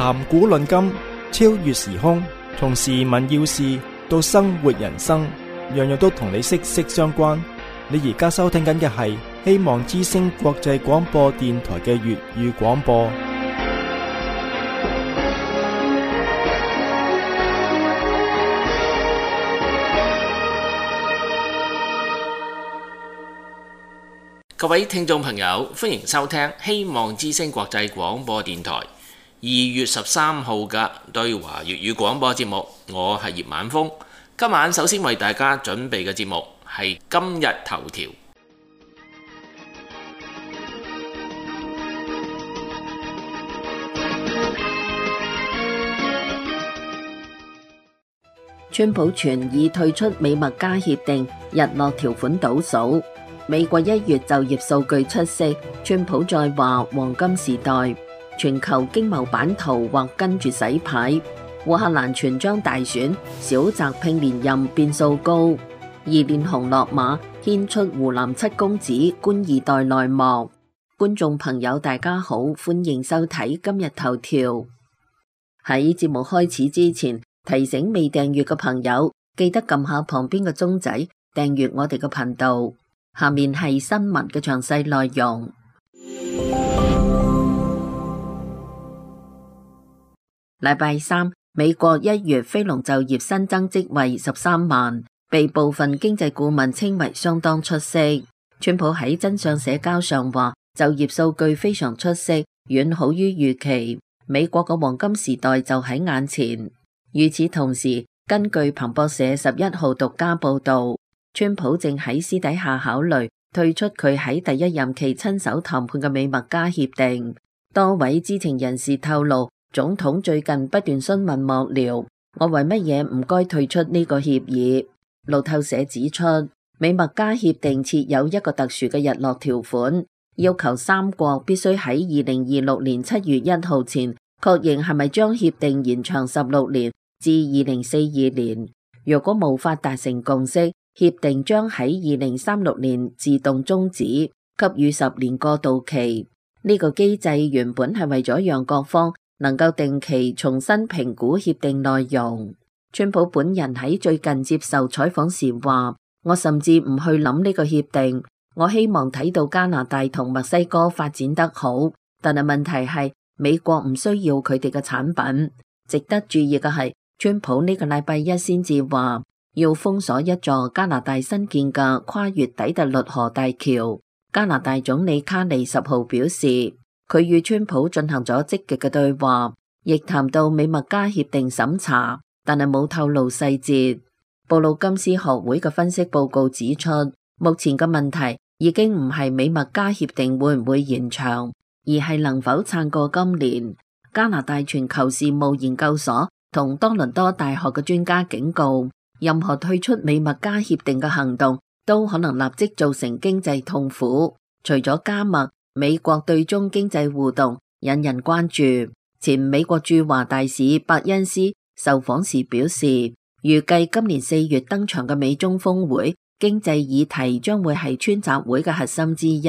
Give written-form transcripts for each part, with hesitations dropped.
談古論今，超越時空，從時聞要事到生活人生，樣樣都同你息息相關。你而家收聽緊嘅係希望之聲國際廣播電台嘅粵語廣播。各位聽眾朋友，歡迎收聽希望之聲國際廣播電台2月13號嘅對華粵語廣播節目。我係葉晚風。今晚首先為大家準備嘅節目係今日頭條。川普傳已退出美墨加協定，日落條款倒數。美國1月就業數據出色，川普再話黃金時代，全球經貿版圖或跟住洗牌。烏克蘭全章大選，小澤拼連任變數高。二連雄落馬，牽出湖南七公子官二代內幕。觀眾朋友大家好，歡迎收睇今日頭條。喺節目開始之前，提醒未訂閱嘅朋友，記得撳下旁邊嘅鐘仔，訂閱我哋嘅頻道。下面係新聞嘅詳細內容。禮拜三，美國1月非農就業新增職位13萬，被部分經濟顧問稱為相當出色。川普喺真相社交上話，就業數據非常出色，遠好於預期。美國嘅黃金時代就喺眼前。與此同時，根據彭博社11號獨家報道，川普正喺私底下考慮退出佢喺第一任期親手談判嘅美墨加協定。多位知情人士透露，總統最近不斷詢問幕僚，我為乜嘢唔該退出呢個協議？路透社指出，美墨加協定設有一個特殊嘅日落條款，要求三國必須喺2026年7月1號前確認係咪將協定延長16年至2042年。若果無法達成共識，協定將喺2036年自動終止，給予10年過渡期。呢個機制原本係為咗讓各方能夠定期重新評估協定內容。川普本人喺最近接受採訪時話，我甚至唔去諗呢個協定，我希望睇到加拿大同墨西哥發展得好，但係問題係美國唔需要佢哋嘅產品。值得注意嘅係，川普呢個禮拜一先至話要封鎖一座加拿大新建嘅跨越底特律河大橋。加拿大總理卡尼10號表示，佢與川普進行咗積極嘅對話，亦談到美墨加協定審查，但係冇透露細節。布魯金斯學會嘅分析報告指出，目前嘅問題已經唔係美墨加協定會唔會延長，而係能否撐過今年。加拿大全球事務研究所同多倫多大學嘅專家警告，任何退出美墨加協定嘅行動都可能立即造成經濟痛苦。除咗加墨，美國對中經濟互動引人關注。前美國駐華大使伯恩斯受訪時表示，預計今年4月登場嘅美中峰會，經濟議題將會係川習會嘅核心之一，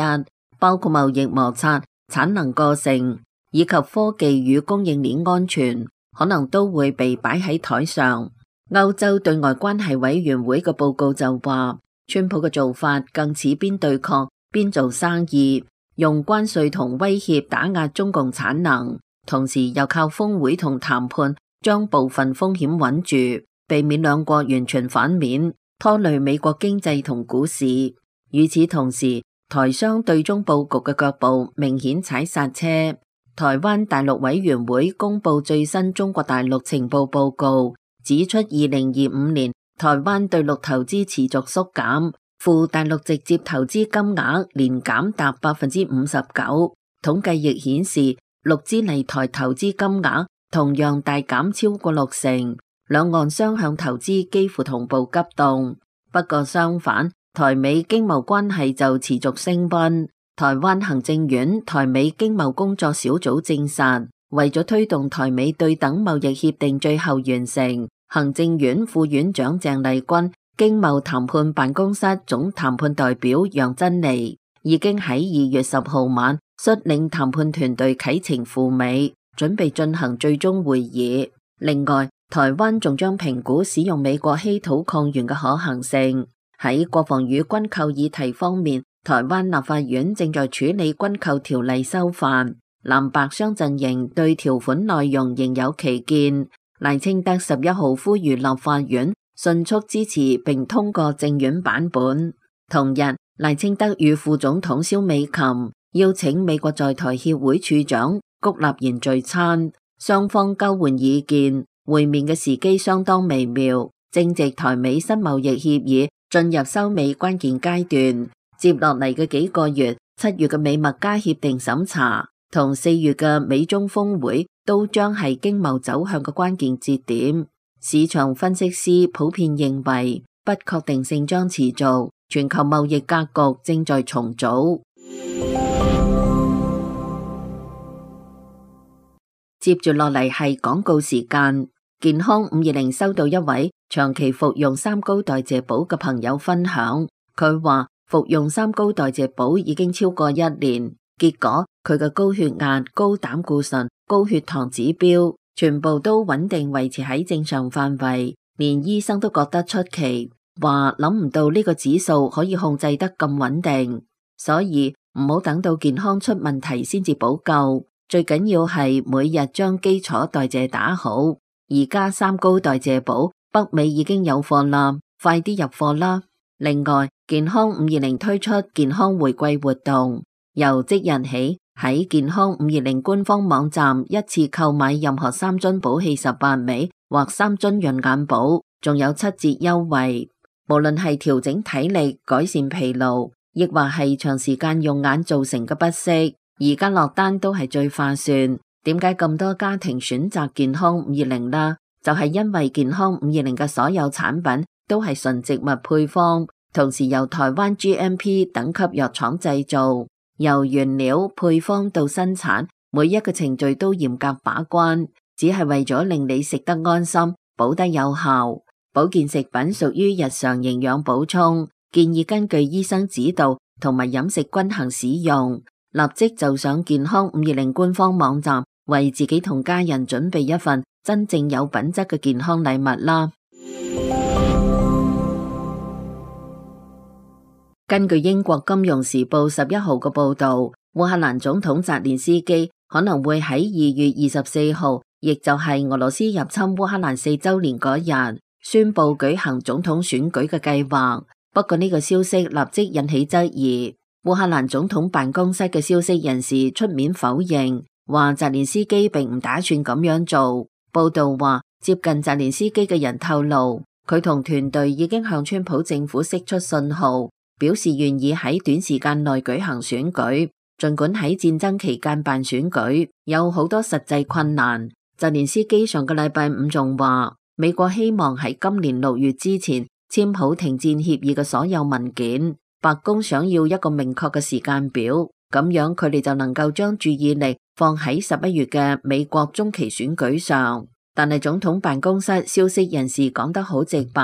包括貿易摩擦、產能過剩以及科技與供應鏈安全，可能都會被擺喺台上。歐洲對外關係委員會嘅報告就話，川普嘅做法更似邊對抗邊做生意，用關稅同威脅打壓中共產能，同時又靠峰會同談判將部分風險穩住，避免兩國完全反面，拖累美國經濟同股市。與此同時，台商對中佈局嘅腳步明顯踩剎車。台灣大陸委員會公布最新中國大陸情報報告，指出2025年台灣對陸投資持續縮減，赴大陸直接投資金額年減達 59%。統計亦顯示，陸資嚟台投資金額同樣大減超過60%，兩岸雙向投資幾乎同步急凍。不過相反，台美經貿關係就持續升溫。台灣行政院台美經貿工作小組證實，為咗推動台美對等貿易協定最後完成，行政院副院長鄭麗君、經貿談判辦公室總談判代表楊珍妮已經喺2月10號晚率領談判團隊啟程赴美，準備進行最終會議。另外，台灣仲將評估使用美國稀土礦源嘅可行性。喺國防與軍購議題方面，台灣立法院正在處理軍購條例修法，藍白雙陣營對條款內容仍有歧見。賴清德11號呼籲立法院迅速支持並通過政院版本。同日，賴清德與副總統蕭美琴邀請美國在台協會處長谷立言聚餐，雙方交換意見。會面嘅時機相當微妙，正值台美新貿易協議進入收尾關鍵階段。接落嚟嘅幾個月，7月嘅美墨加協定審查同4月嘅美中峰會都將係經貿走向嘅關鍵節點。市場分析師普遍認為不確定性將持續，全球貿易格局正在重組。接住落嚟係廣告時間。健康520收到一位長期服用三高代謝寶嘅朋友分享，佢話服用三高代謝寶已經超過1年，結果佢嘅高血壓、高膽固醇、高血糖指標全部都穩定維持喺正常範圍，連醫生都覺得出奇，話諗唔到呢個指數可以控制得咁穩定，所以唔好等到健康出問題先至補救，最緊要係每日將基礎代謝打好。而家三高代謝寶北美已經有貨啦，快啲入貨啦！另外，健康520推出健康回饋活動，由即日起喺健康520官方網站一次購買任何3樽寶氣18味或3樽潤眼寶，仲有7折優惠。無論係調整體力、改善疲勞，亦或係長時間用眼造成嘅不適，而家落單都係最划算。點解咁多家庭選擇健康520啦？就係因為健康520嘅所有產品都係純植物配方，同時由台灣 GMP 等級藥廠製造，由原料配方到生產，每一個程序都嚴格把關，只係為咗令你食得安心，補得有效。保健食品屬於日常營養補充，建議根據醫生指導同埋飲食均衡使用。立即就上健康520官方網站，為自己同家人準備一份真正有品質嘅健康禮物啦！根據英國金融時報11號嘅報道，烏克蘭總統澤連斯基可能會喺2月24號，亦就係俄羅斯入侵烏克蘭4週年嗰日，宣布舉行總統選舉嘅計劃。不過呢個消息立即引起質疑。烏克蘭總統辦公室嘅消息人士出面否認，話澤連斯基並唔打算咁樣做。報道話，接近澤連斯基嘅人透露，佢同團隊已經向川普政府釋出信號，表示願意喺短時間內舉行選舉。儘管喺戰爭期間辦選舉有好多實際困難，澤連斯基上個禮拜五仲話，美國希望喺今年6月之前簽好停戰協議嘅所有文件。白宮想要一個明確嘅時間表，咁樣佢哋就能夠將注意力放喺11月嘅美國中期選舉上。但係總統辦公室消息人士講得好直白，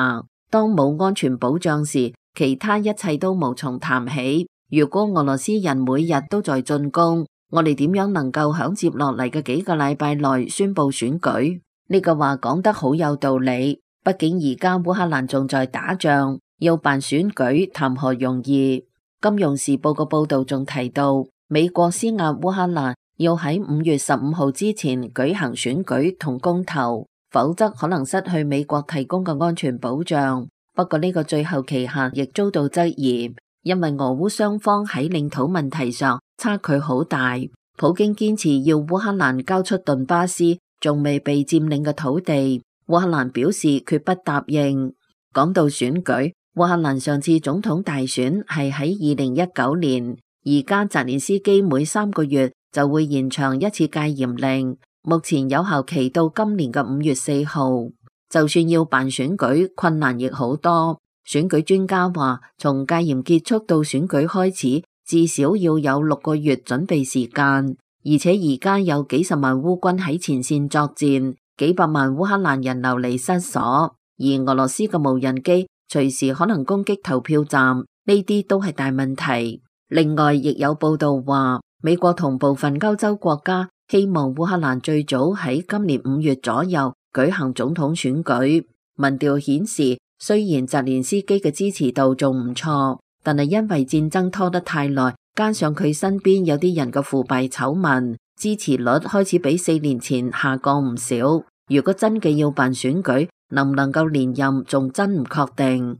當冇安全保障時，其他一切都無從談起。如果俄羅斯人每日都在進攻，我哋點樣能夠響接落嚟嘅幾個禮拜內宣布選舉？呢個話講得好有道理，畢竟而家烏克蘭仲在打仗。要辦選舉談何容易？金融時報嘅報道仲提到，美國施壓烏克蘭要喺5月15號之前舉行選舉同公投，否則可能失去美國提供嘅安全保障。不過呢個最後期限亦遭到質疑，因為俄烏雙方喺領土問題上差距好大。普京堅持要烏克蘭交出頓巴斯仲未被佔領嘅土地，烏克蘭表示決不答應。講到選舉，烏克蘭上次總統大選係喺2019年，而家澤連斯基每3個月就會延長一次戒嚴令，目前有效期到今年嘅5月4號。就算要辦選舉，困難亦好多。選舉專家話，從戒嚴結束到選舉開始，至少要有6個月準備時間，而且而家有幾十萬烏軍喺前線作戰，幾百萬烏克蘭人流離失所，而俄羅斯嘅無人機隨時可能攻擊投票站，呢啲都係大問題。另外，亦有報道話，美國同部分歐洲國家希望烏克蘭最早喺今年5月左右舉行總統選舉。民調顯示，雖然澤連斯基嘅支持度仲唔錯，但係因為戰爭拖得太耐，加上佢身邊有啲人嘅腐敗醜聞，支持率開始比4年前下降唔少。如果真嘅要辦選舉，能唔能夠連任，仲真唔確定。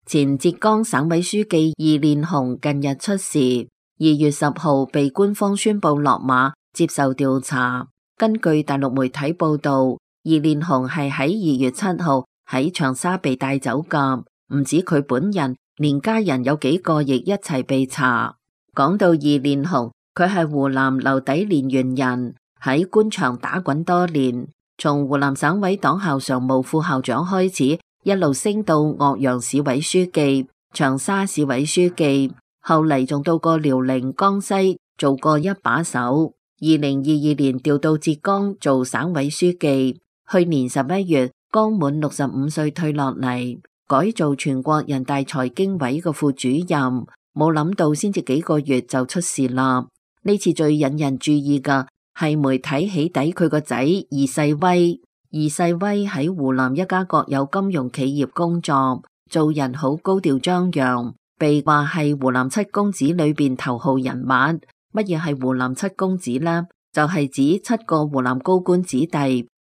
前浙江省委書記易煉紅近日出事，2月10號被官方宣布落馬，接受調查。根據大陸媒體報道，易煉紅係喺2月7號喺長沙被帶走噶，唔止佢本人，連家人有幾個亦一齊被查。講到易煉紅，佢係湖南留底蓮源人，喺官場打滾多年，從湖南省委黨校常務副校長開始，一路升到岳陽市委書記、長沙市委書記，後嚟仲到過遼寧、江西做過一把手。2022年調到浙江做省委書記，去年11月剛滿65歲退落嚟，改做全國人大財經委嘅副主任。冇諗到先至幾個月就出事啦。呢次最引人注意嘅係媒體起底佢個仔易世威。易世威喺湖南一家國有金融企業工作，做人好高調張揚，被話係湖南七公子裏邊頭號人物。乜嘢係湖南七公子呢？就係指7個湖南高官子弟，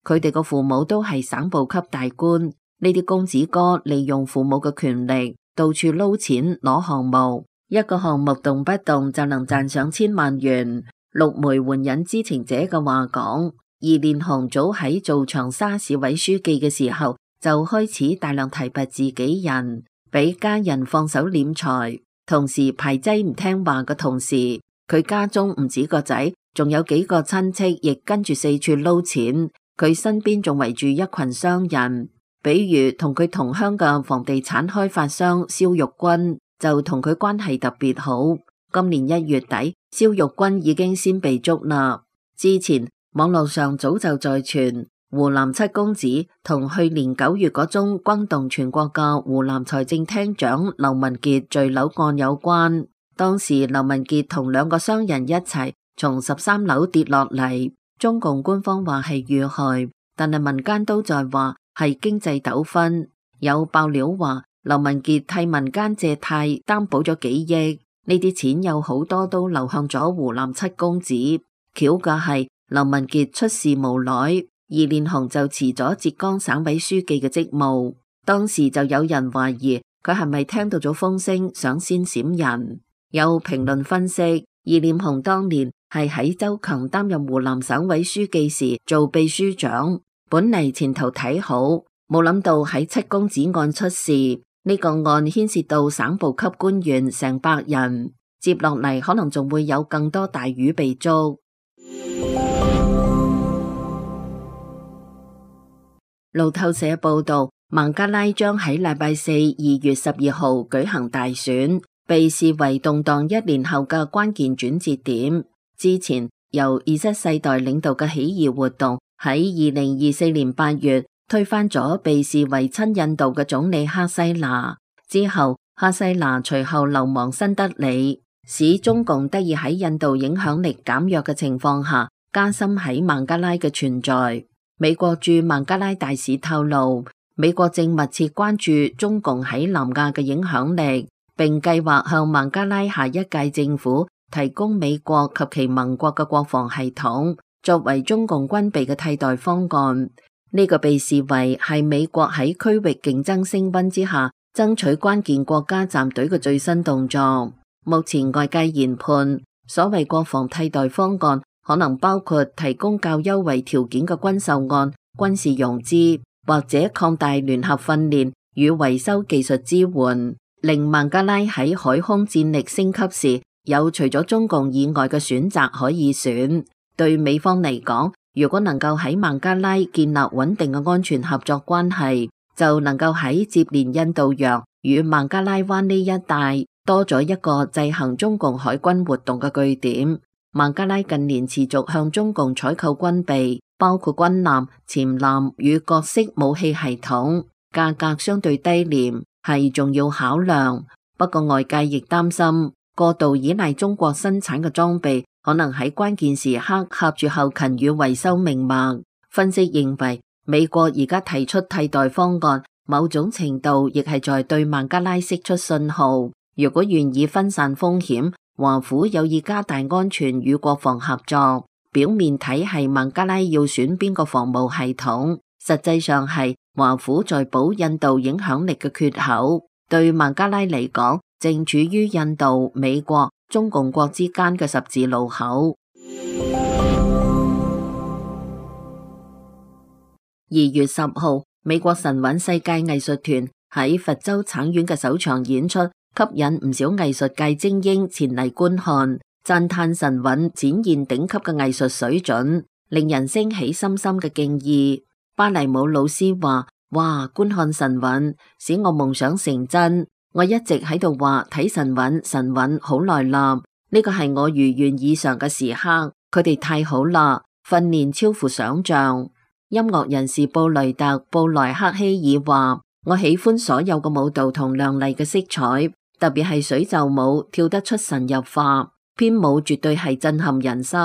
佢哋個父母都係省部級大官。呢啲公子哥利用父母嘅權力，到處撈錢攞項目，一個項目動不動就能賺上千萬元。陸媒援引知情者嘅話講，易煉紅早喺做長沙市委書記嘅時候，就開始大量提拔自己人，俾家人放手斂財，同時排擠唔聽話嘅同時，佢家中唔止個仔，仲有幾個親戚亦跟住四處撈錢。佢身邊仲圍住一群商人，比如同佢同鄉嘅房地產開發商肖玉軍就同佢關係特別好。今年1月底，肖玉軍已經先被捉啦。之前網絡上早就在傳湖南七公子同去年9月嗰宗轟動全國嘅湖南財政廳長劉文傑墜樓案有關。當時劉文傑同2個商人一齊從13樓跌落嚟，中共官方話係遇害，但係民間都在話係經濟糾紛。有爆料話劉文傑替民間借貸擔保咗幾億，呢啲錢有好多都流向咗湖南七公子。巧嘅係劉文傑出事無耐，易煉紅就辭咗浙江省委書記嘅職務。當時就有人懷疑佢係咪聽到咗風聲想先閃人。有評論分析，易煉紅當年係喺周強擔任湖南省委書記時做秘書長，本嚟前途睇好，冇諗到喺七公子案出事。呢個案牽涉到省部級官員成百人，接落嚟可能仲會有更多大魚被捉。路透社報道，孟加拉將喺禮拜4 2月12號舉行大選，被視為動盪1年後嘅關鍵轉折點。之前由Z世代領導嘅起義活動喺2024年8月推翻咗被視為親印度嘅總理哈西娜，之後哈西娜隨後流亡新德里，使中共得以喺印度影響力減弱嘅情況下加深喺孟加拉嘅存在。美國駐孟加拉大使透露，美國正密切關注中共喺南亞嘅影響力，並計劃向孟加拉下一屆政府提供美國及其盟國嘅國防系統，作為中共軍備嘅替代方案。呢個被視為係美國喺區域競爭升溫之下爭取關鍵國家站隊嘅最新動作。目前外界研判，所謂國防替代方案可能包括提供較優惠條件嘅軍售案、軍事融資，或者擴大聯合訓練與維修技術支援，令孟加拉喺海空戰力升級時有除咗中共以外嘅選擇可以選。對美方嚟講，如果能夠喺孟加拉建立穩定嘅安全合作關係，就能夠喺接連印度洋與孟加拉灣呢一帶多咗一個制衡中共海軍活動嘅據點。孟加拉近年持續向中共採購軍備，包括軍艦、潛艦與各式武器系統，價格相對低廉，係重要考量。不過外界亦擔心過度依賴中國生產嘅裝備，可能喺關鍵時刻掐住後勤與維修命脈。分析認為，美國而家提出替代方案，某種程度亦係在對孟加拉釋出信號。如果願意分散風險，華府有意加大安全與國防合作。表面睇係孟加拉要選邊個防務系統，實際上係華府在補印度影響力嘅缺口。對孟加拉嚟講，正處於印度、美國、中共國之間嘅十字路口。2月10號，美國神韻世界藝術團喺佛州橙縣嘅首場演出，吸引唔少藝術界精英前嚟觀看，讚嘆神韻展現頂級嘅藝術水準，令人升起深深嘅敬意。芭蕾舞老師話：哇，觀看神韻使我夢想成真。我一直喺度話睇神韻好耐啦，呢個係我如願以償嘅時刻。佢哋太好啦，訓練超乎想象。音樂人士布雷特·布萊克希爾話：我喜歡所有嘅舞蹈同亮麗嘅色彩，特別係水袖舞，跳得出神入化，編舞絕對係震撼人心，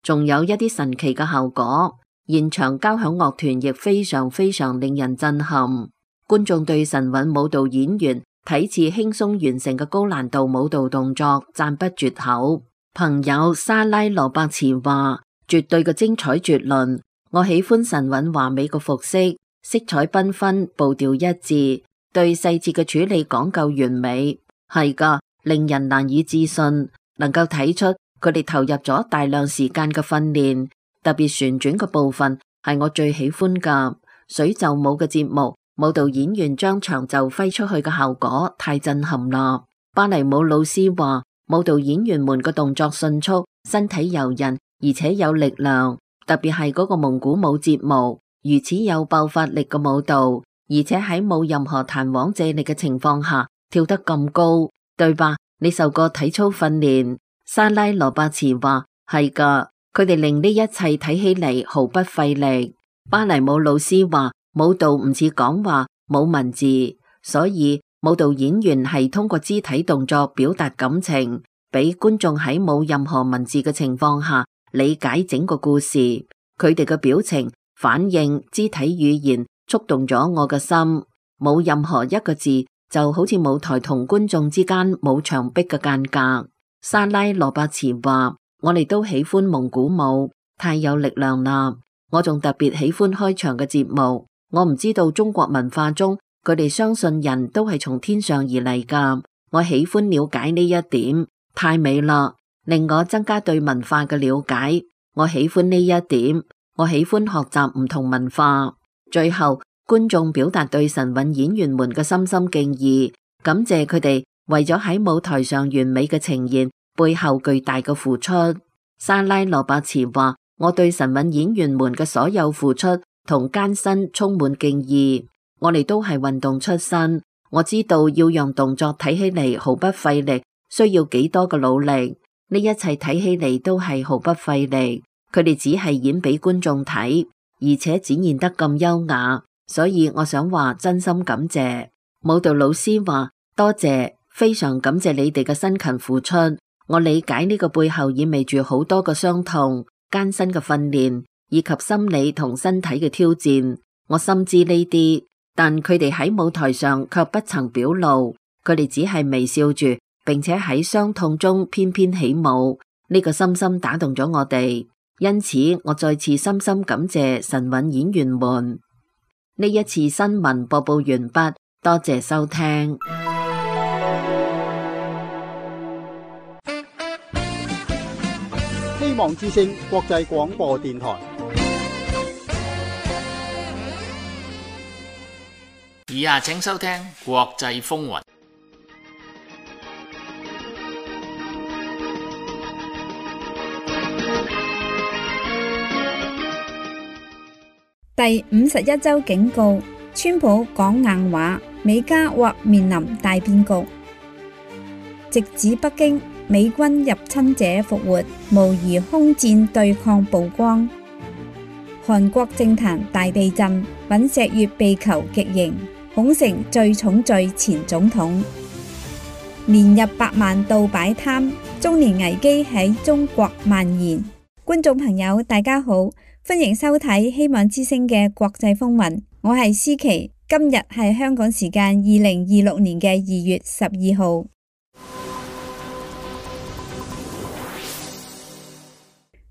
仲有一啲神奇嘅效果。現場交響樂團亦非常令人震撼。觀眾對神韻舞蹈演員睇似輕鬆完成嘅高難度舞蹈動作讚不絕口。朋友莎拉羅伯茨話：絕對嘅精彩絕倫。我喜歡神韻華美嘅服飾，色彩繽紛，步調一致，對細節嘅處理講究完美。係噶，令人難以置信，能夠睇出佢哋投入咗大量時間嘅訓練。特別旋轉嘅部分係我最喜歡噶。水袖舞嘅節目，舞蹈演員將長袖揮出去嘅效果太震撼啦。芭蕾舞老師話：舞蹈演員們嘅動作迅速，身體柔韌，而且有力量。特別係嗰個蒙古舞節目，如此有爆發力嘅舞蹈，而且喺冇任何彈簧借力嘅情況下跳得咁高，對吧？你受過體操訓練？莎拉羅伯茨話：係噶，佢哋令呢一切睇起嚟毫不費力。芭蕾舞老師話：舞蹈唔似講話，冇文字，所以舞蹈演員係通過肢體動作表達感情，俾觀眾喺冇任何文字嘅情況下理解整個故事。佢哋嘅表情、反應、肢體語言觸動咗我嘅心。冇任何一個字，就好似舞台同觀眾之間冇牆壁嘅間隔。莎拉羅伯茨話：我哋都喜歡蒙古舞，太有力量啦。我仲特別喜歡開場嘅節目。我唔知道中國文化中佢哋相信人都係從天上而嚟噶。我喜歡了解呢一點，太美啦，令我增加對文化嘅了解。我喜歡呢一點，我喜歡學習唔同文化。最後，觀眾表達對神韻演員們嘅深深敬意，感謝佢哋為咗喺舞台上完美嘅呈現背後巨大嘅付出。莎拉羅伯茨話：我對神韻演員們嘅所有付出同艱辛充滿敬意。我哋都係運動出身，我知道要讓動作睇起嚟毫不費力，需要幾多嘅努力。呢一切睇起嚟都係毫不費力，佢哋只係演俾觀眾睇，而且展現得咁優雅。所以我想話真心感謝。舞蹈老師話：多謝，非常感謝你哋嘅辛勤付出。我理解呢個背後意味住好多嘅傷痛、艱辛嘅訓練，以及心理同身體嘅挑戰。我深知呢啲，但佢哋喺舞台上卻不曾表露，佢哋只係微笑住，並且喺傷痛中翩翩起舞。呢個深深打動咗我哋，因此我再次深深感謝神韻演員們。呢一次新聞播報完畢，多謝收聽。希望之聲國際廣播電台。以下請收聽國際風雲。第51週警告：川普講硬話，美加或面臨大變局。直指北京，美軍入侵者復活，模擬空戰對抗曝光。韓國政壇大地震，尹錫悅被求極刑，恐成最重罪前總統。年入百萬度擺攤，中年危機喺中國蔓延。觀眾朋友大家好，歡迎收睇希望之聲嘅國際風雲，我係思琪，今日係香港時間2026年嘅2月12號。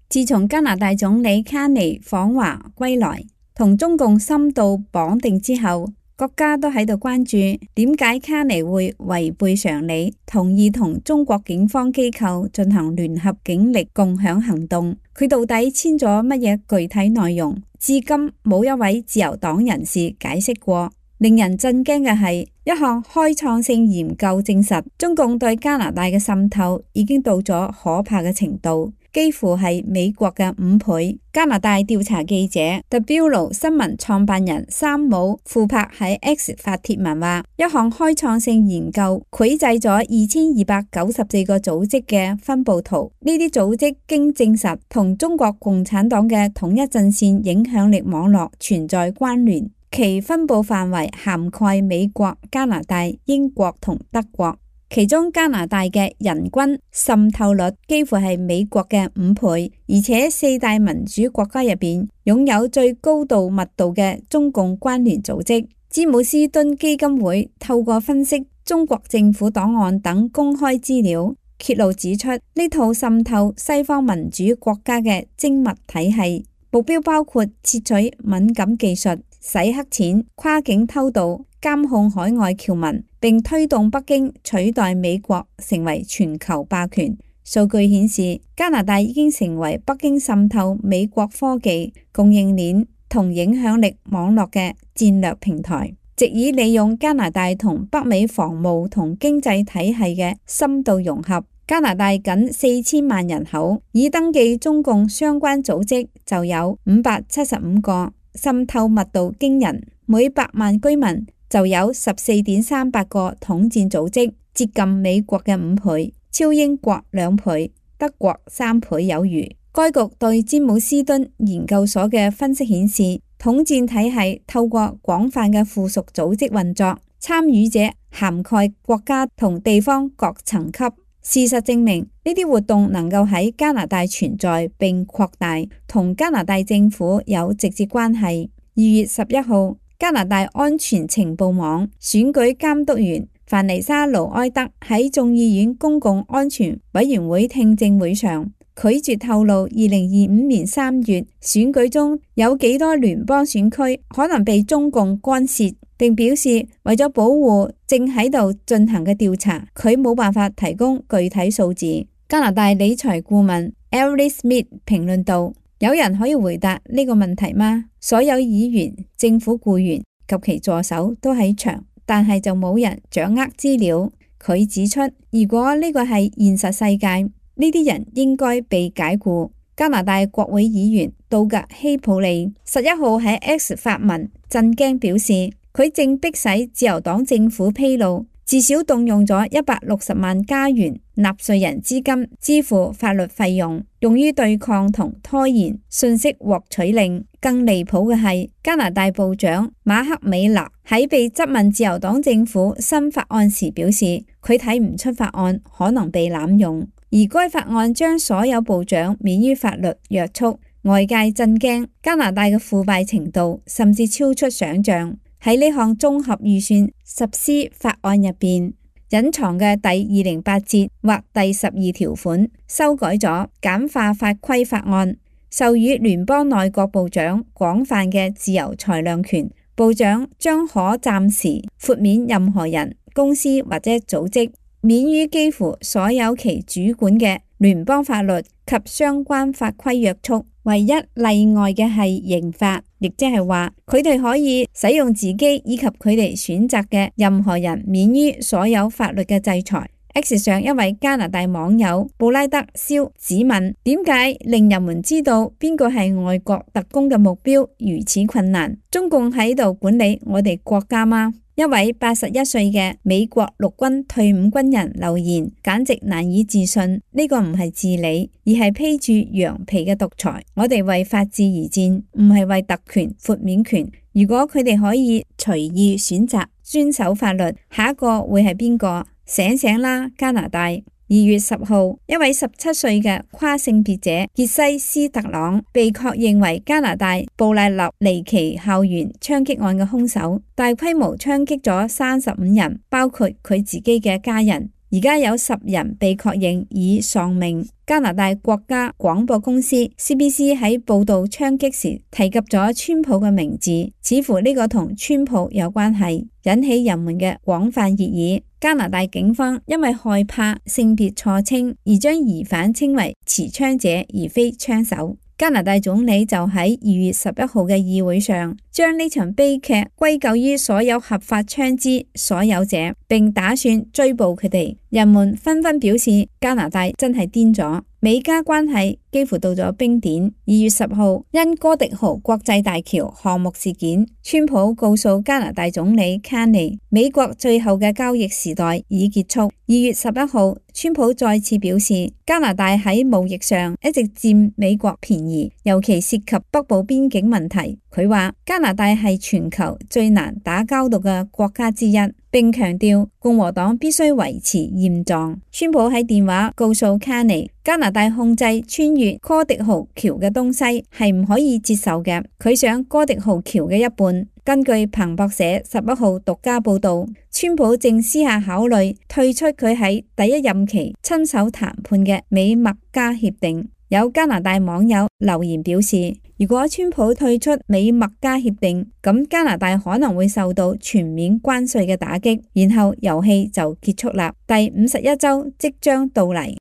自從加拿大總理卡尼訪華歸來，同中共深度綁定之後，國家都喺度關注點解卡尼會違背常理，同意同中國警方機構進行聯合警力共享行動。佢到底簽咗乜嘢具體內容？至今冇一位自由黨人士解釋過。令人震驚嘅係，一項開創性研究證實，中共對加拿大嘅滲透已經到咗可怕嘅程度，幾乎係美國嘅5倍。加拿大調查記者 The Bureau 新聞創辦人山姆庫珀喺 X 發帖文話，一項開創性研究繪製咗2294個組織嘅分佈圖，呢啲組織經證實同中國共產黨嘅統一陣線影響力網絡存在關聯。其分佈範圍涵蓋美國、加拿大、英國同德國，其中加拿大嘅人均滲透率幾乎係美國嘅5倍，而且4大民主國家入邊擁有最高度密度嘅中共關聯組織。詹姆斯敦基金會透過分析中國政府檔案等公開資料，揭露指出呢套滲透西方民主國家嘅精密體系，目標包括竊取敏感技術、洗黑錢、跨境偷渡、監控海外僑民，並推動北京取代美國成為全球霸權。數據顯示，加拿大已經成為北京滲透美國科技供應鏈同影響力網絡嘅戰略平台，藉以利用加拿大同北美防務同經濟體系嘅深度融合。加拿大僅4000萬人口，已登記中共相關組織就有575個。滲透密度驚人，每100萬居民就有14.38個統戰組織，接近美國嘅5倍，超英國2倍，德國3倍有餘。該局對詹姆斯敦研究所嘅分析顯示，統戰體系透過廣泛嘅附屬組織運作，參與者涵蓋國家同地方各層級。事實證明，呢啲活動能夠喺加拿大存在並擴大，同加拿大政府有直接關係。2月11號，加拿大安全情報網選舉監督員范尼莎盧埃德喺眾議院公共安全委員會聽證會上拒絕透露2025年3月選舉中有幾多聯邦選區可能被中共干涉，並表示為咗保護正喺度進行嘅調查，佢冇辦法提供具體數字。加拿大理財顧問 Ellie Smith 評論道：有人可以回答呢個問題嗎？所有議員、政府僱員及其助手都喺場，但係就冇人掌握資料。佢指出，如果呢個係現實世界，呢啲人應該被解僱。加拿大國會議員杜格希普利11號喺 X 發文震驚，表示佢正迫使自由黨政府披露，至少動用咗160萬加元納稅人資金支付法律費用，用於對抗同拖延信息獲取令。更離譜嘅係，加拿大部長馬克美拿喺被質問自由黨政府新法案時表示，佢睇唔出法案可能被濫用，而該法案將所有部長免於法律約束。外界震驚加拿大嘅腐敗程度甚至超出想象。喺呢項綜合預算實施法案入邊，隱藏嘅第208節或第12條款修改咗簡化法規法案，授予聯邦內閣部長廣泛嘅自由裁量權。部長將可暫時豁免任何人、公司或者組織，免於幾乎所有其主管嘅聯邦法律及相關法規約束。唯一例外嘅係刑法，亦即係話佢哋可以使用自己以及佢哋選擇嘅任何人免於所有法律嘅制裁。X 上一位加拿大網友布拉德肖指問：點解令人們知道邊個係外國特工嘅目標如此困難？中共喺度管理我哋國家嗎？一位81歲嘅美國陸軍退伍軍人留言，簡直難以置信。呢個唔係治理，而係披住羊皮嘅獨裁。我哋為法治而戰，唔係為特權、豁免權。如果佢哋可以隨意選擇遵守法律，下一個會係邊個？醒醒啦，加拿大！2月10號，一位17歲嘅跨性別者傑西斯特朗被確認為加拿大布賴立尼奇校園槍擊案嘅兇手，大規模槍擊咗35人，包括佢自己嘅家人。而家有10人被確認已喪命。加拿大國家廣播公司 CBC 喺報道槍擊時提及咗川普嘅名字，似乎呢個同川普有關係，引起人們嘅廣泛熱議。加拿大警方因為害怕性別錯稱而將疑犯稱為持槍者而非槍手。加拿大總理就喺2月11號嘅議會上，將呢場悲劇歸咎於所有合法槍支所有者，並打算追捕佢哋。人們紛紛表示，加拿大真係癲咗。美加關係幾乎到咗冰點。2月10號，因哥迪豪國際大橋項目事件，川普告訴加拿大總理卡尼，美國最後嘅交易時代已結束。2月11號，川普再次表示，加拿大喺貿易上一直佔美國便宜，尤其涉及北部邊境問題。佢話加拿大係全球最難打交道嘅國家之一，並強調共和黨必須維持現狀。川普喺電話告訴卡尼，加拿大控制穿越哥迪豪橋嘅東西係唔可以接受嘅，佢想哥迪豪橋嘅一半。根據彭博社11號獨家報道，川普正私下考慮退出佢喺第一任期親手談判嘅美墨加協定。有加拿大網友留言表示，如果川普退出美墨加協定，咁加拿大可能會受到全面關稅嘅打擊，然後遊戲就結束啦。第51週即將到嚟。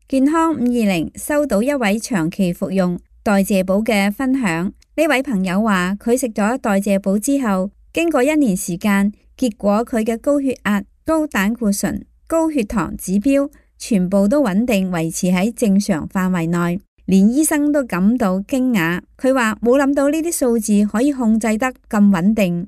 健康520收到一位長期服用代謝寶嘅分享。呢位朋友話佢食咗代謝寶之後，經過1年時間，結果佢嘅高血壓、高膽固醇、高血糖指標全部都穩定維持喺正常範圍內，連醫生都感到驚訝。佢話冇諗到呢啲數字可以控制得咁穩定。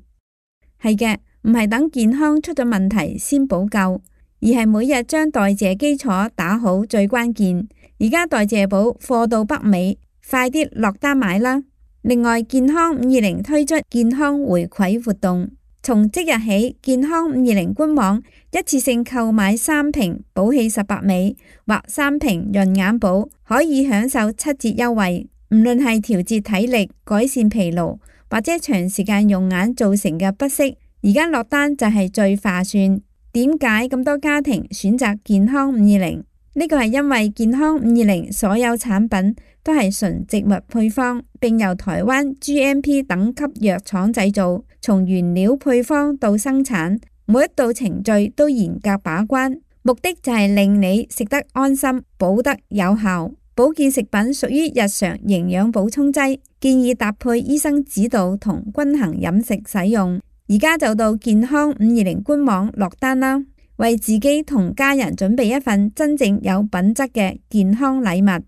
係嘅，唔係等健康出咗問題先補救，而係每日將代謝基礎打好最關鍵。而家代謝寶貨到北美，快啲落單買啦！另外，健康520推出健康回饋活動，從即日起，健康520官網一次性購買3瓶寶氣18美或3瓶潤眼寶，可以享受7折優惠。唔論係調節體力、改善疲勞或者長時間用眼造成嘅不適，而家落單就係最划算。點解咁多家庭選擇健康520？呢個係因為健康520所有產品都係純植物配方，並由台灣 GMP 等級藥廠製造，從原料配方到生產，每一道程序都嚴格把關，目的就係令你食得安心，補得有效。保健食品屬於日常營養補充劑，建議搭配醫生指導同均衡飲食使用。而家就到健康520官網落單啦，為自己同家人準備一份真正有品質嘅健康禮物。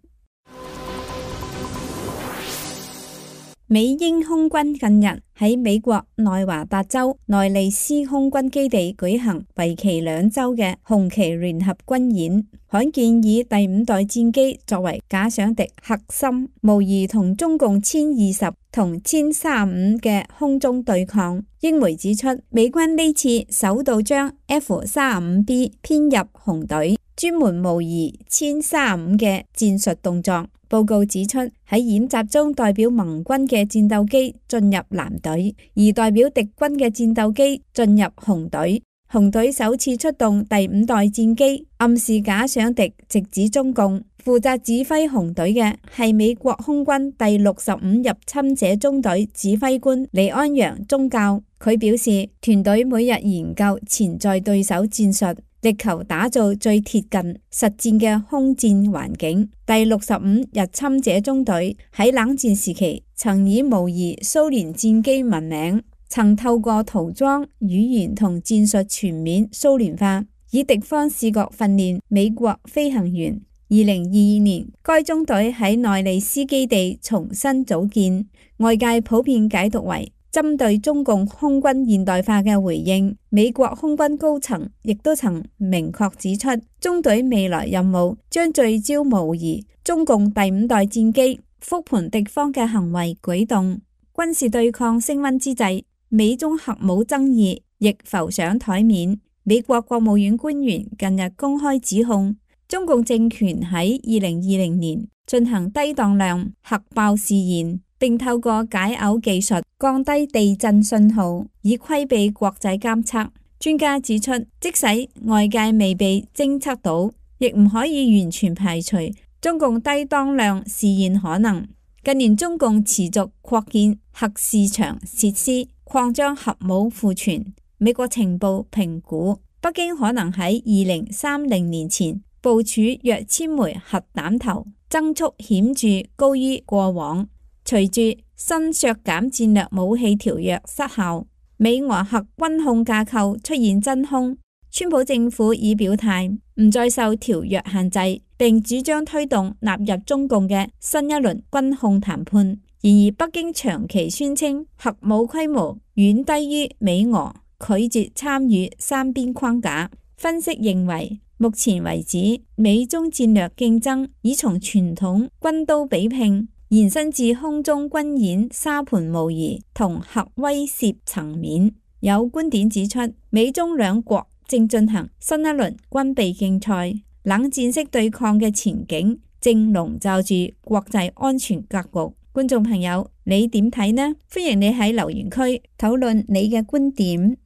美英空軍近日喺美國內華達州內利斯空軍基地舉行為期2週嘅紅旗聯合軍演，罕見以第5代戰機作為假想敵核心，模擬同中共殲20同殲35嘅空中對抗。英媒指出，美軍呢次首度將 F-35B 編入紅隊，專門模擬殲35嘅戰術動作。報告指出，喺演習中代表盟軍嘅戰鬥機進入藍隊，而代表敵軍嘅戰鬥機進入紅隊。紅隊首次出動第5代戰機，暗示假想敵直指中共。負責指揮紅隊嘅係美國空軍第65入侵者中隊指揮官李安陽中校。佢表示，團隊每日研究潛在對手戰術，力求打造最貼近實戰嘅空戰環境。第65入侵者中隊喺冷戰時期曾以模擬蘇聯戰機聞名，曾透過塗裝、語言同戰術全面蘇聯化，以敵方視覺訓練美國飛行員。2022年，該中隊喺內利斯基地重新組建，外界普遍解讀為針對中共空軍現代化嘅回應。美國空軍高層亦都曾明確指出，中隊未來任務將聚焦模擬中共第5代戰機，復盤敵方嘅行為舉動。軍事對抗升溫之際，美中核武爭議亦浮上台面。美國國務院官員近日公開指控，中共政權喺2020年進行低當量核爆試驗，並透過解耦技術降低地震信號，以規避國際監測。專家指出，即使外界未被偵測到，亦唔可以完全排除中共低當量試驗可能。近年中共持續擴建核試場設施，擴張核武庫存。美國情報評估，北京可能喺2030年前部署約1000枚核彈頭，增速顯著高於過往。隨住新削減戰略武器條約失效，美俄核軍控架構出現真空。川普政府已表態唔再受條約限制，並主張推動納入中共嘅新一輪軍控談判。然而，北京長期宣稱核武規模遠低於美俄，拒絕參與三邊框架。分析認為，目前為止，美中戰略競爭已從傳統軍刀比拼延伸至空中軍演沙盤模擬同核威懾層面。有觀點指出，美中兩國正進行新一輪軍備競賽，冷戰式對抗嘅前景正籠罩住國際安全格局。觀眾朋友，你點睇呢？歡迎你喺留言區討論你嘅觀點。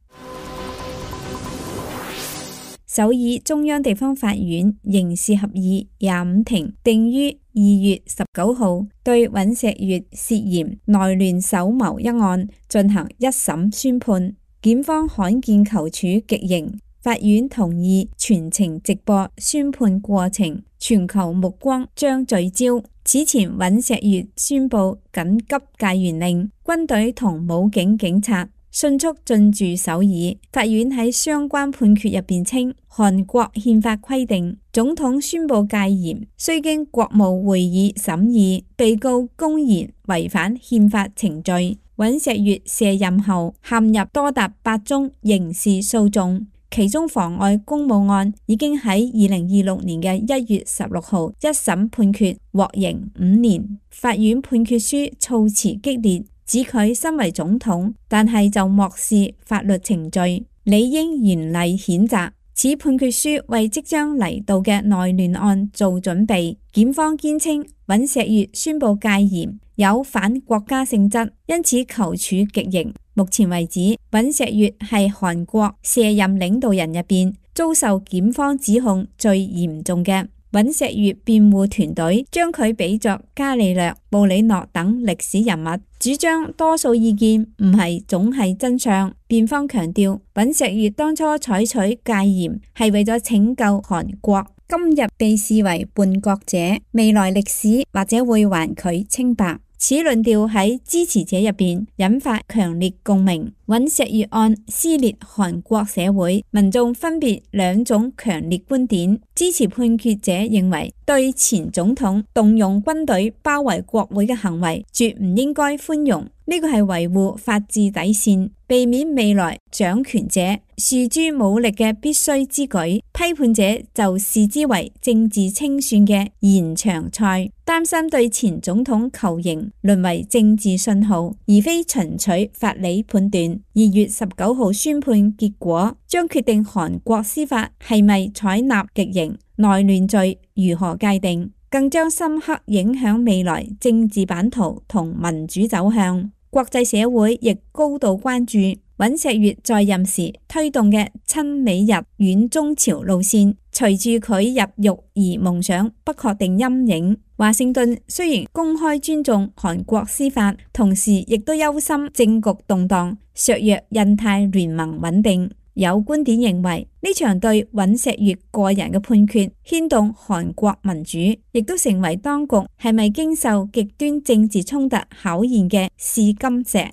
首爾中央地方法院刑事合議25庭定於2月19號對尹錫悅涉嫌內亂首謀一案進行一審宣判，檢方罕見求處極刑。法院同意全程直播宣判過程，全球目光將聚焦。此前尹錫悅宣布緊急戒嚴令，軍隊同武警警察迅速進駐首爾。法院喺相關判決入邊稱，韓國憲法規定，總統宣布戒嚴須經國務會議審議，被告公然違反憲法程序。尹錫悅卸任後陷入多達8宗刑事訴訟。其中妨礙公務案已經喺2026年嘅1月16號一審判決，獲刑5年。法院判決書措辭激烈，指佢身為總統，但係就漠視法律程序，理應嚴厲譴責。此判決書為即將嚟到嘅內亂案做準備。檢方堅稱尹錫悅宣布戒嚴有反國家性質，因此求處極刑。目前為止，尹錫悅係韓國卸任領導人入邊遭受檢方指控最嚴重嘅。尹錫悅辯護團隊將佢比作伽利略、布里諾等歷史人物，主張多數意見唔係總係真相。辯方強調，尹錫悅當初採取戒嚴係為咗拯救韓國，今日被視為叛國者，未來歷史或者會還佢清白。此論調喺支持者入邊引發強烈共鳴。尹錫悅案撕裂韓國社會，民眾分別兩種強烈觀點。支持判決者認為，對前總統動用軍隊包圍國會嘅行為絕唔應該寬容，呢個係維護法治底線，避免未來掌權者訴諸武力嘅必須之舉。批判者就視之為政治清算嘅延長賽，擔心對前總統求刑淪為政治信號，而非純粹法理判斷。2月19號宣判結果將決定韓國司法係咪採納極刑，內亂罪如何界定，更將深刻影響未來政治版圖同民主走向。國際社會亦高度關注尹錫悅在任時推動嘅親美日遠中朝路線，隨住佢入獄而蒙上不確定陰影。華盛頓雖然公開尊重韓國司法，同時亦都憂心政局動盪，削弱印太聯盟穩定。有觀點認為，呢場對尹錫悅個人嘅判決牽動韓國民主，亦都成為當局係咪經受極端政治衝突考驗嘅試金石。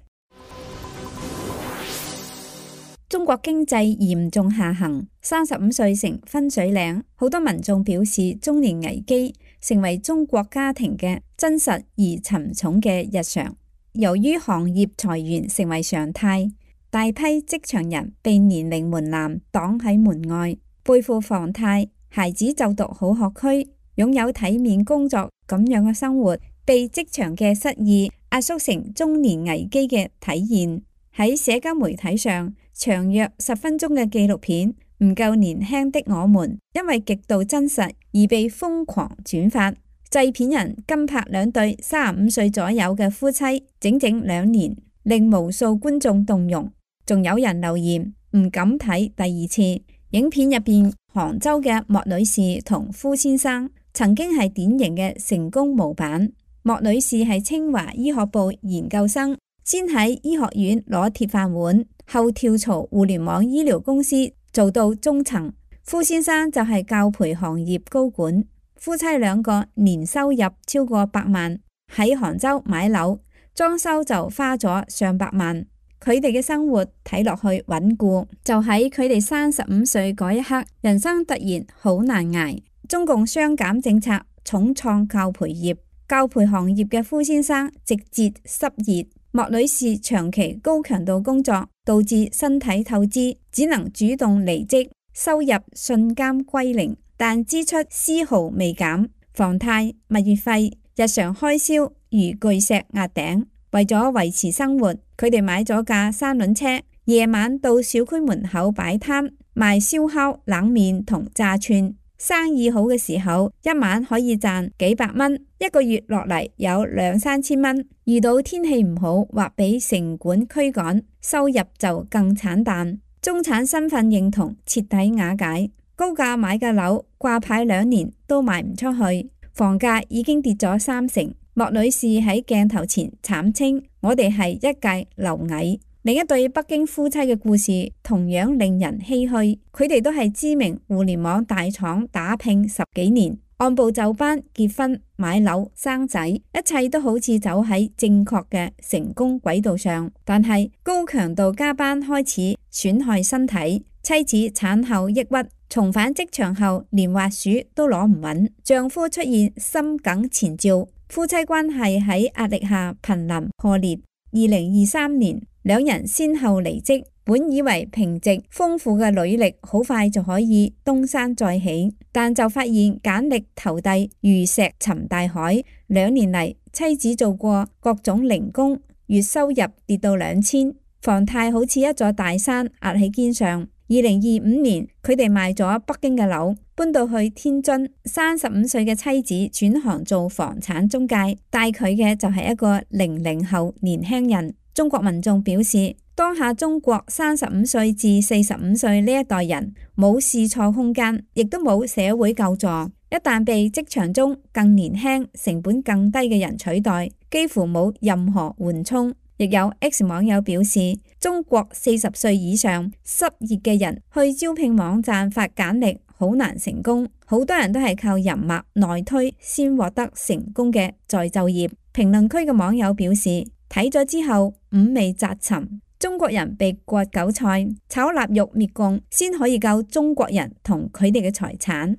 中國經濟嚴重下行，35歲成分水嶺，好多民眾表示中年危機成為中國家庭嘅真實而沉重嘅日常。由於行業裁員成為常態，大批職場人被年齡門檻擋喺門外，背負房貸，孩子就讀好學區，擁有體面工作咁樣嘅生活，被職場嘅失意壓縮成中年危機嘅體現。喺社交媒體上，長約10分鐘嘅紀錄片《唔夠年輕的我們》，因為極度真實而被瘋狂轉發。製片人跟拍兩對35歲左右嘅夫妻，整整2年，令無數觀眾動容。仲有人留言唔敢睇第二次。影片入邊，杭州嘅莫女士同夫先生曾經係典型嘅成功模板。莫女士係清華醫學部研究生，先喺醫學院攞鐵飯碗，後跳槽互聯網醫療公司做到中層。夫先生就係教培行業高管，夫妻兩個年收入超過100萬，喺杭州買樓，裝修就花咗上百萬。佢哋嘅生活睇落去穩固，就喺佢哋35歲嗰一刻，人生突然好難捱。中共雙減政策重創教培業，教培行業嘅夫先生直接失業，莫女士長期高強度工作導致身體透支，只能主動離職，收入瞬間歸零，但支出絲毫未減，房貸、物業費、日常開銷如巨石壓頂。為咗維持生活，佢哋買咗架三輪車，夜晚到小區門口擺攤賣燒烤、冷麵同炸串。生意好嘅時候，一晚可以賺幾百蚊，一個月落嚟有2-3千蚊。遇到天氣唔好或俾城管驅趕，收入就更慘淡。中產身份認同徹底瓦解，高價買嘅樓掛牌2年都賣唔出去，房價已經跌咗30%。莫女士喺鏡頭前慘稱：我哋係一介螻蟻。另一對北京夫妻嘅故事同樣令人唏噓，佢哋都係知名互聯網大廠打拼10幾年，按部就班結婚、買樓、生仔，一切都好似走喺正確嘅成功軌道上。但係高強度加班開始損害身體，妻子產後抑鬱，重返職場後連滑鼠都攞唔穩，丈夫出現心梗前兆。夫妻關係喺壓力下瀕臨破裂。2023年，兩人先後離職，本以為平直豐富嘅履歷好快就可以東山再起，但就發現簡歷投遞如石沉大海。2年嚟，妻子做過各種零工，月收入跌到2000，房貸好似一座大山壓喺肩上。2025年，佢哋賣咗北京嘅樓，搬到去天津。35歲嘅妻子轉行做房產中介，帶佢嘅就係一個00後年輕人。中國民眾表示，當下中國35歲至45歲呢一代人冇試錯空間，亦都冇社會救助。一旦被職場中更年輕、成本更低嘅人取代，幾乎冇任何緩衝。亦有 X 網友表示，中國40歲以上失業嘅人去招聘網站發簡歷好難成功，好多人都係靠人脈內推先獲得成功嘅再就業。評論區嘅網友表示，睇咗之後五味雜陳，中國人被割韭菜、炒臘肉滅共，先可以救中國人同佢哋嘅財產。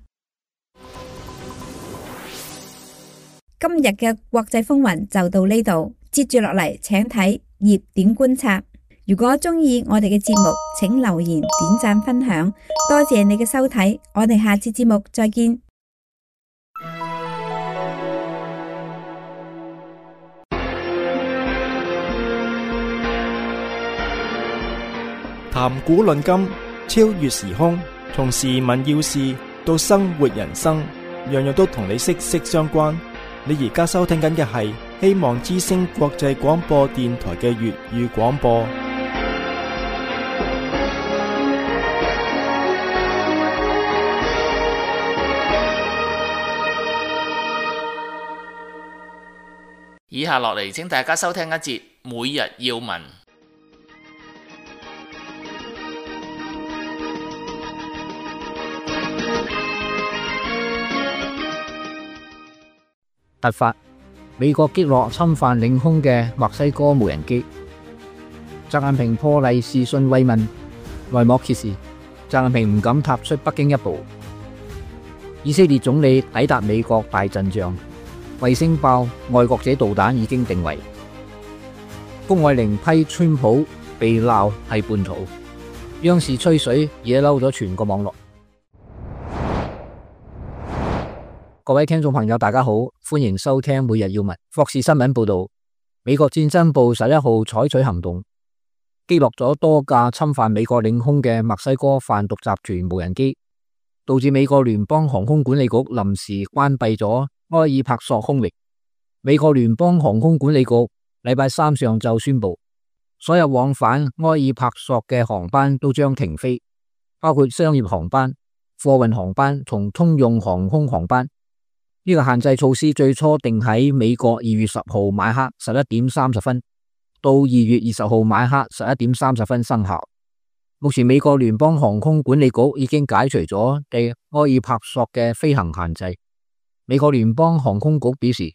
今日嘅國際風雲就到呢度。接住落嚟，請睇熱點觀察。如果中意我哋嘅節目，請留言、點讚、分享。多謝你嘅收睇，我哋下次節目再見。談古論今，超越時空，從時聞要事到生活人生，樣樣都同你息息相關。你而家收聽緊嘅係希望之聲國際廣播電台嘅粵語廣播。以下落嚟，請大家收聽一節每日要聞。突發，美國擊落侵犯領空嘅墨西哥無人機。習近平破例視訊慰問，內幕揭示，習近平唔敢踏出北京一步。以色列總理抵達美國大陣仗，衛星爆愛國者導彈已經定位。谷愛凌批川普被鬧係叛徒，央視吹水惹嬲咗全個網絡。各位聽眾朋友大家好，歡迎收聽每日要聞。霍士新聞報道，美國戰爭部11號採取行動，擊落咗多架侵犯美國領空嘅墨西哥販毒集團無人機，導致美國聯邦航空管理局臨時關閉咗埃爾帕索空域。美國聯邦航空管理局禮拜三上晝宣布，所有往返埃爾帕索嘅航班都將停飛，包括商業航班、貨運航班同通用航空航班。呢個限制措施最初定喺美國2月10號晚黑11點30分到2月20號晚黑11點30分生效。目前美國聯邦航空管理局已經解除咗對埃爾帕索嘅飛行限制。美國聯邦航空局表示，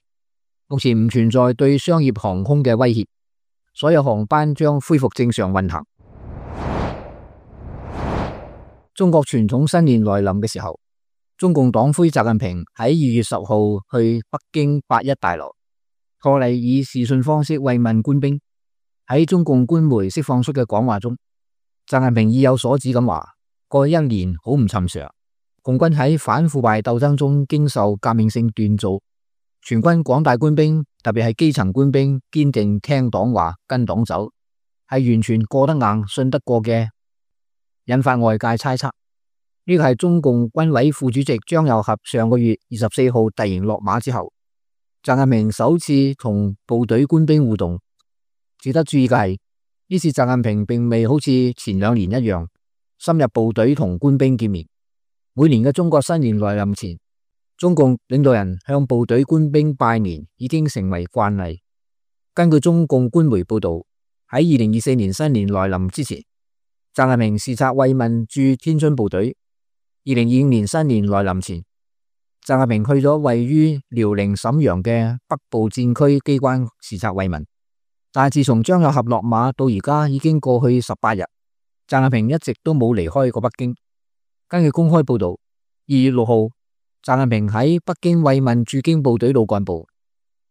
目前唔存在對商業航空嘅威脅，所有航班將恢復正常運行。中國傳統新年來臨嘅時候，中共黨魁習近平喺2月10號去北京8一大樓，賀禮以視訊方式慰問官兵。喺中共官媒釋放出嘅講話中，習近平意有所指咁話：過去一年好唔尋常，共軍喺反腐敗鬥爭中經受革命性鍛造，全軍廣大官兵，特別係基層官兵，堅定聽黨話跟黨走，係完全過得硬、信得過嘅，引發外界猜測。呢個係中共軍委副主席張又俠上個月24號突然落馬之後，習近平首次同部隊官兵互動。值得注意嘅係，呢次習近平並未好似前2年一樣深入部隊同官兵見面。每年嘅中國新年來臨前，中共領導人向部隊官兵拜年已經成為慣例。根據中共官媒報道，喺2024年新年來臨之前，習近平視察慰問駐天津部隊。2025年新年來臨前，習近平去咗位於遼寧瀋陽嘅北部戰區機關視察慰問。但係自從張又俠落馬到而家已經過去18日，習近平一直都冇離開過北京。根據公開報道，2月6號，習近平喺北京慰問駐京部隊老幹部。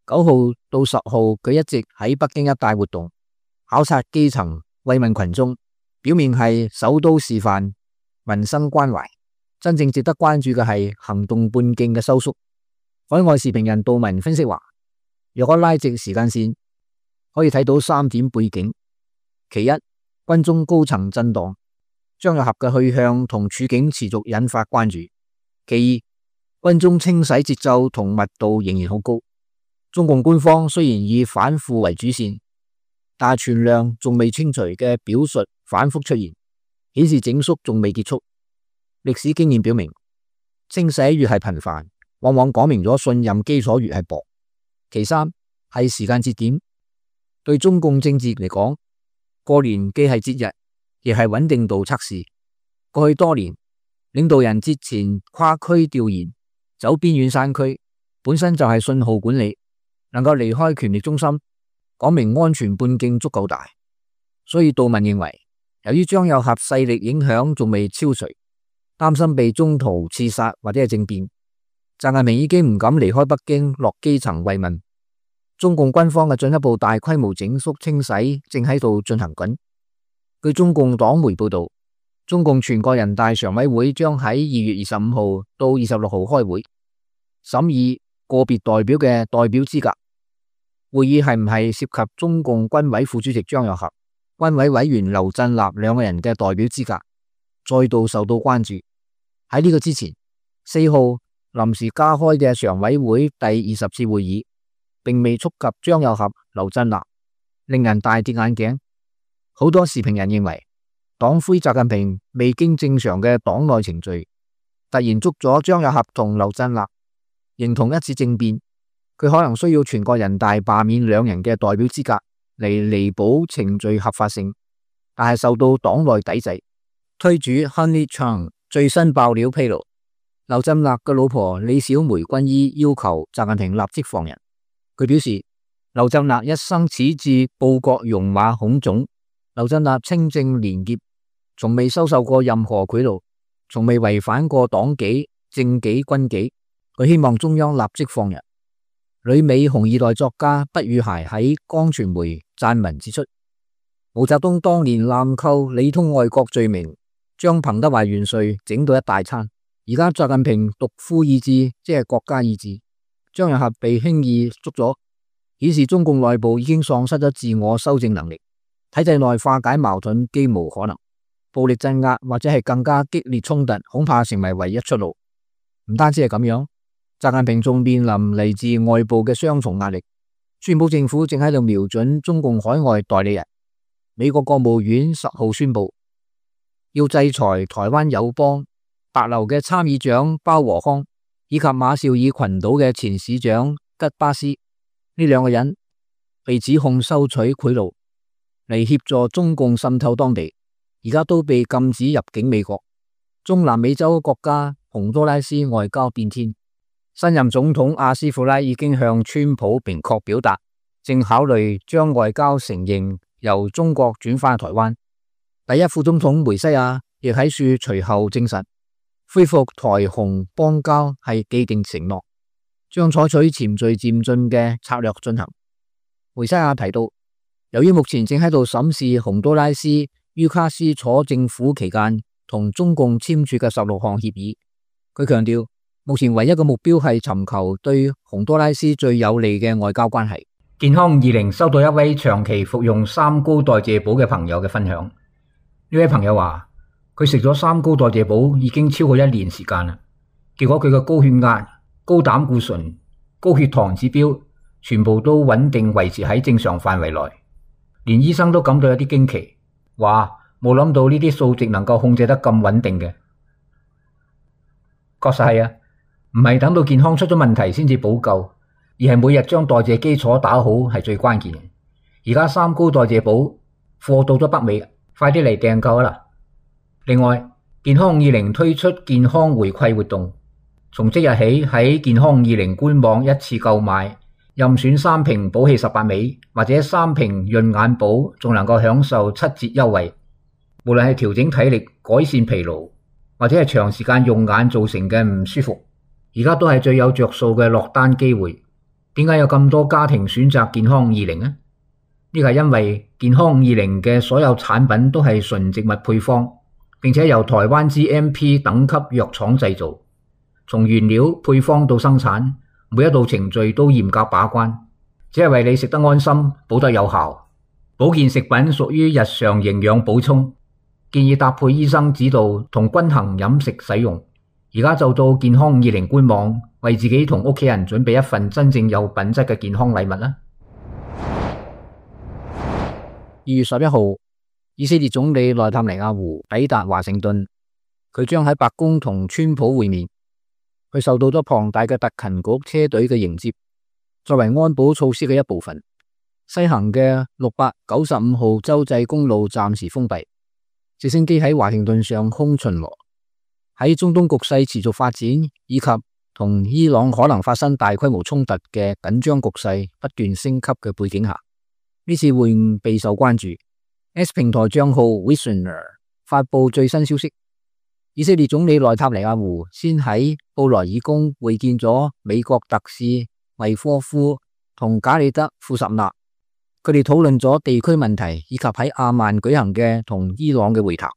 9號到10號，佢一直喺北京一帶活動，考察基層，慰問群眾，表面係首都示範，民生關懷。真正值得關注嘅係行動半徑嘅收縮。海外時評人杜文分析話，若果拉直時間線，可以睇到3點背景。其一，軍中高層震盪，張又俠嘅去向同處境持續引發關注。其二，軍中清洗節奏同密度仍然好高。中共官方雖然以反腐為主線，但存量仲未清除嘅表述反覆出現，顯示整肅仲未結束。歷史經驗表明，清洗越係頻繁，往往講明咗信任基礎越係薄。其三係時間節點，對中共政治嚟講，過年既係節日，亦係穩定度測試。過去多年，領導人節前跨區調研，走邊遠山區，本身就係信號管理，能夠離開權力中心，講明安全半徑足夠大。所以杜文認為，由於張又俠勢力影響仲未消除，擔心被中途刺殺或者係政變，習近平已經唔敢離開北京落基層慰問。中共軍方嘅進一步大規模整肅清洗正喺度進行緊。據中共黨媒報道，中共全國人大常委會將喺2月25號到26號開會，審議個別代表嘅代表資格。會議係唔係涉及中共軍委副主席張又俠、軍委委員劉振立兩個人嘅代表資格，再度受到關注。喺呢個之前，4號臨時加開嘅常委會第20次會議，並未觸及張又俠、劉振立，令人大跌眼鏡。好多時評人認為，黨魁習近平未經正常嘅黨內程序，突然捉咗張又俠同劉振立，形同一次政變。佢可能需要全國人大罷免兩人嘅代表資格嚟彌補程序合法性，但係受到黨內抵制。推主 Honey Chang 最新爆料披露，劉振立嘅老婆李小梅軍醫要求習近平立即放人。佢表示，劉振立一生矢志報國戎馬孔種，劉振立清正廉潔，從未收受過任何賄賂，從未違反過黨紀、政紀、軍紀。佢希望中央立即放人。旅美紅二代作家畢宇諧喺光傳媒撰文指出，毛澤東當年濫扣里通外國罪名，將彭德懷元帥整到一大餐。而家習近平獨夫意志，即係國家意志，張又俠被輕易捉咗，顯示中共內部已經喪失咗自我修正能力。體制內化解矛盾幾無可能，暴力鎮壓或者係更加激烈衝突，恐怕成為唯一出路。唔單止係咁樣，習近平仲面臨嚟自外部嘅雙重壓力。川普政府正喺度瞄準中共海外代理人。美國國務院10號宣布，要制裁台灣友邦帛琉嘅參議長鮑和康以及馬紹爾群島嘅前市長吉巴斯，呢兩個人被指控收取賄賂嚟協助中共滲透當地，而家都被禁止入境美國。中南美洲國家洪都拉斯外交變天，新任總統阿斯庫拉已經向川普明確表達，正考慮將外交承認由中國轉返台灣。第一副總統梅西亞亦喺樹隨後證實，恢復台洪邦交係既定承諾，將採取循序漸進嘅策略進行。梅西亞提到，由於目前正喺度審視洪都拉斯於卡斯楚政府期間同中共簽署嘅16項協議，佢強調目前唯一嘅目標係尋求對洪都拉斯最有利嘅外交關係。健康20收到一位長期服用三高代謝寶嘅朋友嘅分享，呢位朋友話佢食咗三高代謝寶已經超過1年時間啦，結果佢嘅高血壓、高膽固醇、高血糖指標全部都穩定維持喺正常範圍內，連醫生都感到有啲驚奇，話冇諗到呢啲數值能夠控制得咁穩定嘅。確實係啊，唔係等到健康出咗問題先至補救，而係每日將代謝基礎打好係最關鍵。而家三高代謝寶貨到咗北美，快啲嚟訂購啦！另外，健康20推出健康回饋活動，從即日起喺健康20官網一次購買，任選3瓶寶氣18味或者3瓶潤眼寶，仲能夠享受7折優惠。無論係調整體力、改善疲勞，或者係長時間用眼造成嘅唔舒服，而家都係最有着數嘅落單機會。點解有咁多家庭選擇健康20呢？呢個係因為健康20嘅所有產品都係純植物配方，並且由台灣 GMP 等級藥廠製造，從原料配方到生產，每一道程序都嚴格把關，只係為你食得安心、補得有效。保健食品屬於日常營養補充，建議搭配醫生指導同均衡飲食使用。而家就到健康20官網，為自己同屋企人準備一份真正有品質嘅健康禮物啦。2月11號，以色列總理內塔尼亞胡抵達華盛頓，佢將喺白宮同川普會面。佢受到咗龐大嘅特勤局車隊嘅迎接，作為安保措施嘅一部分，西行嘅695號州際公路暫時封閉，直升機喺華盛頓上空巡邏。喺中東局勢持續發展以及同伊朗可能發生大規模衝突嘅緊張局勢不斷升級嘅背景下，呢次會晤備受關注。X 平台賬號 Wissner 發佈最新消息，以色列總理內塔尼亞胡先喺布萊爾宮會見咗美國特使維科夫同賈里德庫什納，佢哋討論咗地區問題以及喺阿曼舉行嘅同伊朗嘅會談。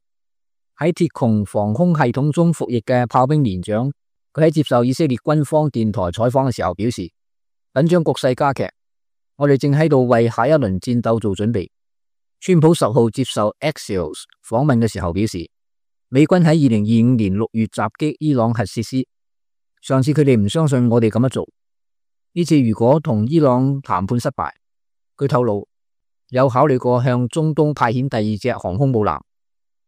喺鐵穹防空系統中服役嘅炮兵連長，佢喺接受以色列軍方電台採訪嘅時候表示，緊張局勢加劇，我哋正喺度為下一輪戰鬥做準備。川普10號接受 Axios 訪問嘅時候表示，美軍喺2025年6月襲擊伊朗核設施，上次佢哋唔相信我哋咁樣做，呢次如果同伊朗談判失敗，佢透露有考慮過向中東派遣第2隻航空母艦。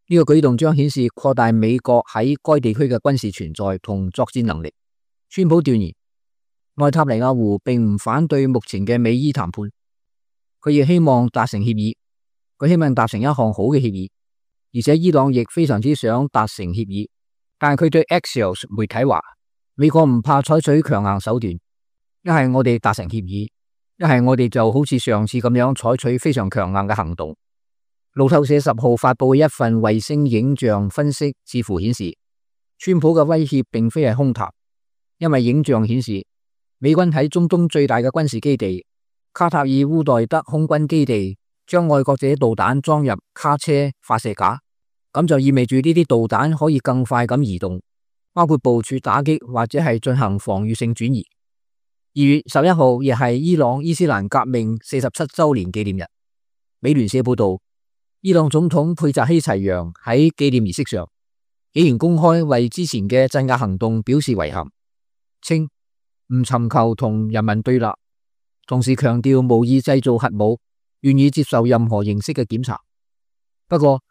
呢個舉動將顯示擴大美國喺該地區嘅軍事存在同作戰能力。川普斷言，內塔尼亞胡並唔反對目前嘅美伊談判，佢亦希望達成協議，佢希望達成一項好嘅協議，而且伊朗亦非常之想達成協議。但係佢對 Axios 媒體話，美國唔怕採取強硬手段，一係我哋達成協議，一係我哋就好似上次咁樣採取非常強硬嘅行動。路透社10號發佈嘅一份衛星影像分析似乎顯示，川普嘅威脅並非係空談，因為影像顯示美軍喺中東最大嘅軍事基地卡塔爾烏代德空軍基地將愛國者導彈裝入卡車發射架，咁就意味住呢啲導彈可以更快咁移動，包括部署打擊或者係進行防禦性轉移。2月11號亦係伊朗伊斯蘭革命47周年紀念日。美聯社報道，伊朗總統佩扎希齊揚喺紀念儀式上，竟然公開為之前嘅鎮壓行動表示遺憾，稱唔尋求同人民對立，同時強調無意製造核武，願意接受任何形式嘅檢查。不過，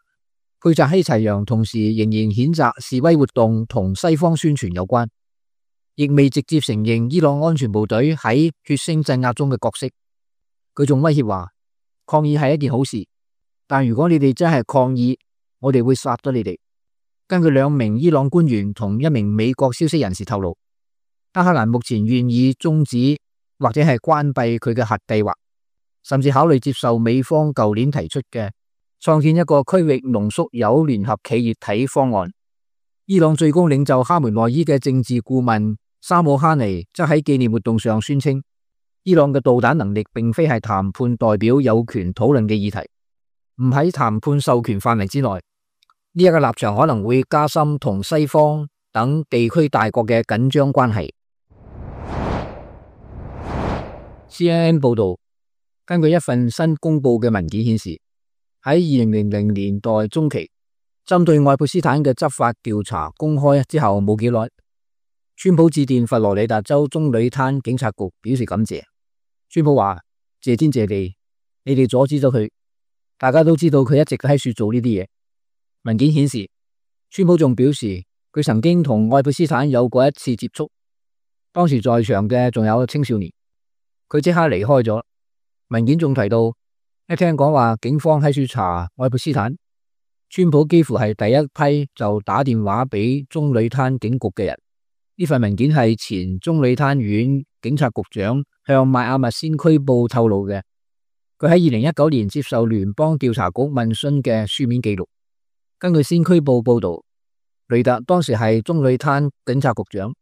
佩扎希齊揚同時仍然譴責示威活動同西方宣傳有關，亦未直接承認伊朗安全部隊喺血腥鎮壓中嘅角色。佢仲威脅話，抗議係一件好事，但如果你哋真係抗議，我哋會殺咗你哋。根據2名伊朗官員同1名美國消息人士透露，德黑蘭目前願意終止或者係關閉佢嘅核計劃，甚至考慮接受美方舊年提出嘅創建一個區域濃縮鈾聯合企業體方案。伊朗最高領袖哈梅內伊嘅政治顧問沙姆哈尼則喺紀念活動上宣稱，伊朗嘅導彈能力並非係談判代表有權討論嘅議題，唔喺談判授權範圍之內。呢一個立場可能會加深同西方等地區大國嘅緊張關係。CNN 報道，根據一份新公布嘅文件顯示，喺2000年代中期，針對愛潑斯坦嘅執法調查公開之後冇幾耐，川普致電佛羅里達州棕櫚灘警察局表示感謝。川普話：謝天謝地，你哋阻止咗佢。大家都知道佢一直喺處做呢啲嘢。文件顯示，川普仲表示佢曾經同愛潑斯坦有過一次接觸，當時在場嘅仲有青少年。佢即刻離開咗。文件仲提到，一聽講話警方喺處查愛潑斯坦，川普幾乎係第一批就打電話俾棕櫚灘警局嘅人。呢份文件係前棕櫚灘縣警察局長向邁阿密先驅報透露嘅，佢喺2019年接受聯邦調查局問詢嘅書面記錄。根據先驅報報道，雷達當時係棕櫚灘警察局長，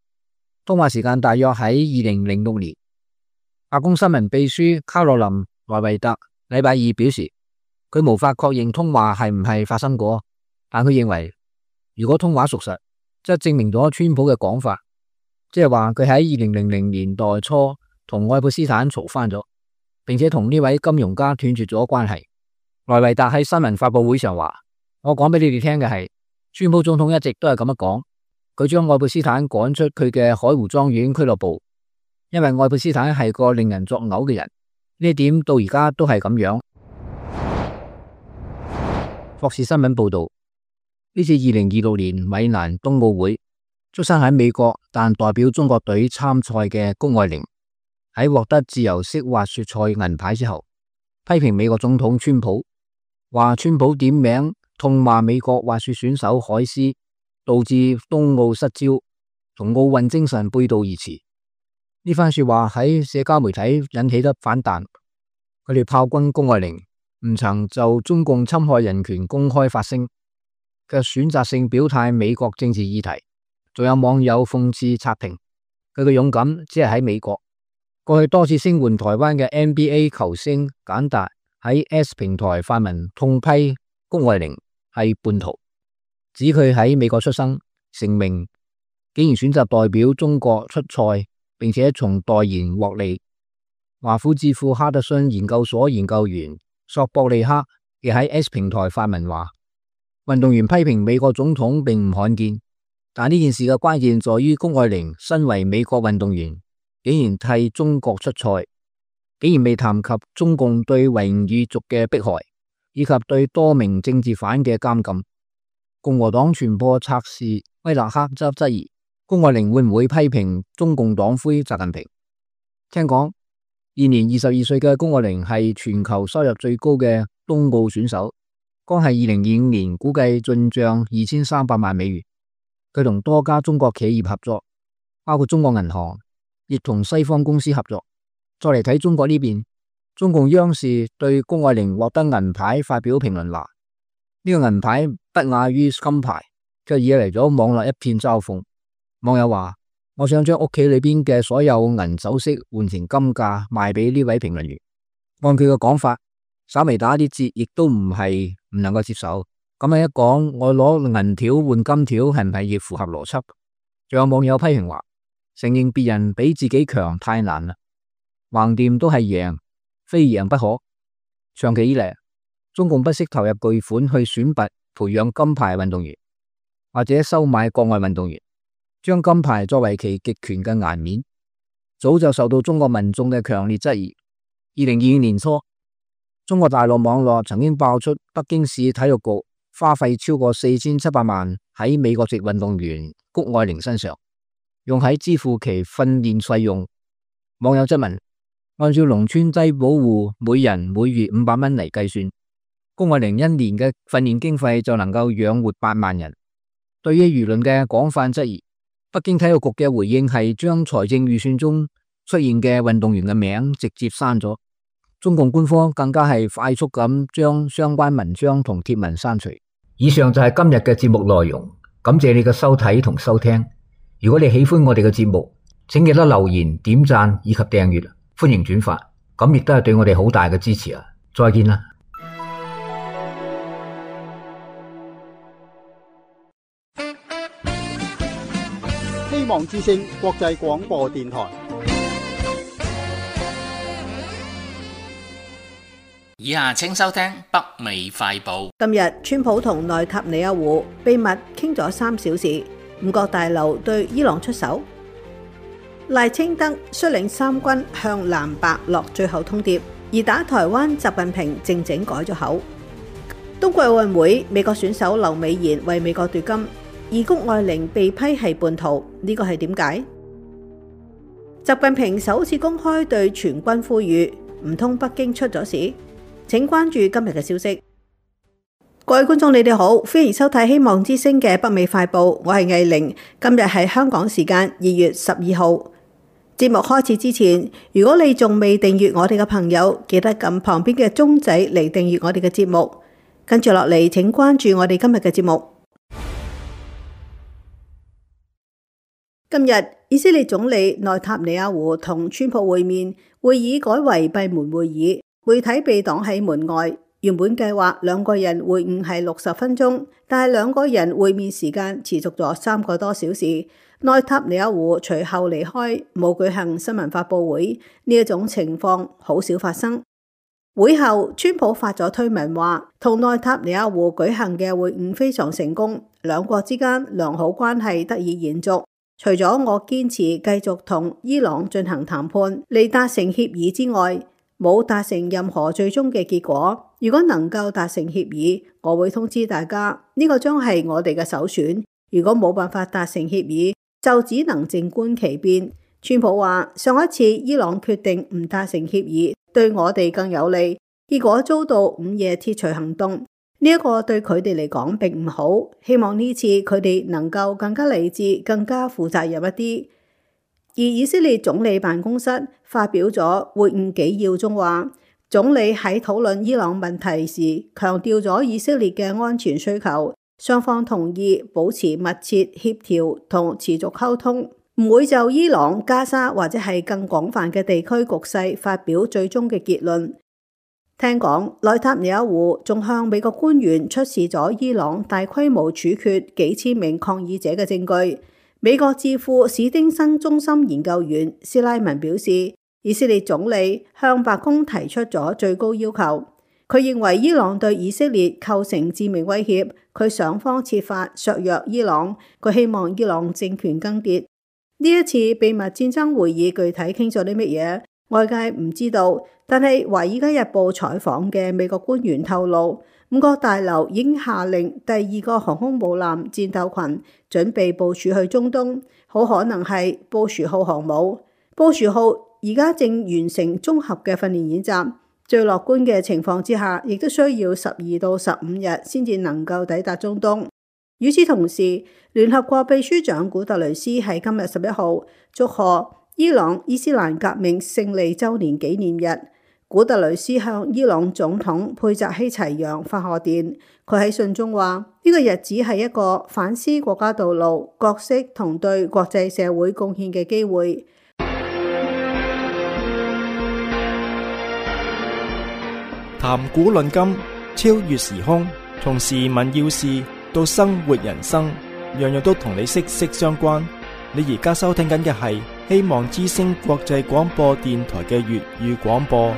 通話時間大約喺2006年。白宮新聞秘書卡洛琳·萊維特禮拜二表示，佢無法確認通話係唔係發生過，但佢認為如果通話屬實，則證明咗川普嘅講法，即係話佢喺2000年代初同愛潑斯坦嘈翻咗，並且同呢位金融家斷絕咗關係。萊維特喺新聞發佈會上話：我講俾你哋聽嘅係，川普總統一直都係咁樣講，佢將愛潑斯坦趕出佢嘅海湖莊園俱樂部，因為愛潑斯坦係個令人作嘔嘅人，呢一點到而家都係咁樣。霍士新聞報道，呢次2026年米蘭冬奧會，出生喺美國但代表中國隊參賽嘅谷愛凌，喺獲得自由式滑雪賽銀牌之後，批評美國總統川普，話川普點名痛罵美國滑雪選手海斯，導致冬奧失焦，同奧運精神背道而馳。呢番說話喺社交媒體引起得反彈，佢哋炮轟谷愛凌唔曾就中共侵害人權公開發聲，卻選擇性表態美國政治議題。仲有網友諷刺刷屏，佢嘅勇敢只係喺美國。過去多次聲援台灣嘅 NBA 球星簡達喺 S 平台發文痛批谷愛凌係叛徒，指佢喺美國出生成名，竟然選擇代表中國出賽，並且從代言獲利。華府智庫哈德遜研究所研究員索博利克亦喺 S 平台發文話，運動員批評美國總統並唔罕見，但呢件事嘅關鍵在於谷愛凌身為美國運動員，竟然替中國出賽，竟然未談及中共對維吾爾族嘅迫害，以及對多名政治犯嘅監禁。共和黨傳播策士威勒克則質疑谷愛凌會唔會批評中共黨魁習近平。聽講現年22歲嘅谷愛凌係全球收入最高嘅冬奧選手，光係2025年估計進賬2300萬美元。佢同多家中國企業合作，包括中國銀行，亦同西方公司合作。再嚟睇中國呢邊，中共央視對谷愛凌獲得銀牌發表評論話，呢個銀牌不亞於金牌，卻惹嚟咗網絡一片嘲諷。網友話：我想將屋企裏邊嘅所有銀首飾換成金價賣俾呢位評論員。按佢嘅講法，稍微打啲折亦都唔係唔能夠接受。咁樣一講，我攞銀條換金條係唔係亦符合邏輯？仲有網友批評話，承認別人比自己強太難啦，橫掂都係贏，非贏不可。長期以嚟，中共不惜投入巨款去選拔培養金牌運動員，或者收買國外運動員，將金牌作為其極權嘅顏面，早就受到中國民眾嘅強烈質疑。2022年初，中國大陸網絡曾經爆出北京市體育局花費超過4700萬喺美國籍運動員谷愛凌身上，用喺支付其訓練費用。網友質問，按照農村低保戶每人每月500蚊嚟計算，谷愛凌一年嘅訓練經費就能夠養活8萬人。對於輿論嘅廣泛質疑，北京體育局嘅回應係將財政預算中出現嘅運動員嘅名直接刪咗。中共官方更加係快速咁將相關文章同貼文刪除。以上就係今日嘅節目內容，感謝你嘅收睇同收聽。如果你喜歡我哋嘅節目，請記得留言、點讚以及訂閱，歡迎轉發，咁亦都係對我哋好大嘅支持啊！再見啦！希望之聲國際廣播電台。以下請收聽北美快報。今日川普同內塔尼亞胡秘密傾咗3小時，五角大樓對伊朗出手。賴清德率領3軍向藍白落最後通牒，而打台灣習近平靜靜改咗口。冬季奧運會，美國選手劉美妍為美國奪金，而谷愛凌被批係叛徒，呢個係點解？習近平首次公開對全軍呼籲，唔通北京出咗事？請關注今日嘅消息。各位觀眾，你哋好，歡迎收睇希望之聲嘅北美快報，我係藝玲。今日係香港時間2月12號。節目開始之前，如果你仲未訂閱我哋嘅朋友，記得撳旁邊嘅鐘仔嚟訂閱我哋嘅節目。跟住落嚟，請關注我哋今日嘅節目。今日以色列總理內塔尼亞胡同川普會面，會議改為閉門會議。媒體被擋喺門外，原本計劃兩個人會晤係60分鐘，但係兩個人會面時間持續咗3個多小時。內塔尼亞胡隨後離開，冇舉行新聞發佈會，呢一種情況好少發生。會後，川普發咗推文話，同內塔尼亞胡舉行嘅會晤非常成功，兩國之間良好關係得以延續。除咗我堅持繼續同伊朗進行談判嚟達成協議之外，冇達成任何最終嘅結果。如果能夠達成協議，我會通知大家，呢個將係我哋嘅首選。如果冇辦法達成協議，就只能靜觀其變。川普話，上一次伊朗決定唔達成協議，對我哋更有利，結果遭到午夜鐵錘行動，呢一個對佢哋嚟講並唔好。希望呢次佢哋能夠更加理智、更加負責任一啲。而以色列總理辦公室發表咗會晤紀要中話，總理喺討論伊朗問題時強調咗以色列嘅安全需求，雙方同意保持密切協調同持續溝通，唔會就伊朗、加沙或者係更廣泛嘅地區局勢發表最終嘅結論。聽講內塔尼亞胡仲向美國官員出示咗伊朗大規模處決幾千名抗議者嘅證據。美國智庫史丁生中心研究員斯拉文表示，以色列總理向白宮提出咗最高要求。佢認為伊朗對以色列構成致命威脅，佢想方設法削弱伊朗。佢希望伊朗政權更迭。呢一次秘密戰爭會議具體傾咗啲乜嘢，外界唔知道。但係《華爾街日報》採訪嘅美國官員透露，五角大樓已經下令第2個航空母艦戰鬥群準備部署去中東，好可能係布殊號航母。布殊號而家正完成綜合嘅訓練演習，最樂觀嘅情況之下，亦都需要12到15日先至能夠抵達中東。與此同時，聯合國秘書長古特雷斯喺今日11號祝賀伊朗伊斯蘭革命勝利週年紀念日。古特雷斯向伊朗總統佩澤希齊揚發賀電，佢喺信中話，呢個日子係一個反思國家道路、角色同對國際社會貢獻嘅機會。談古論今，超越時空，從時聞要事到生活人生，樣樣都同你息息相關。你而家收聽緊嘅係希望之聲國際廣播電台嘅粵語廣播。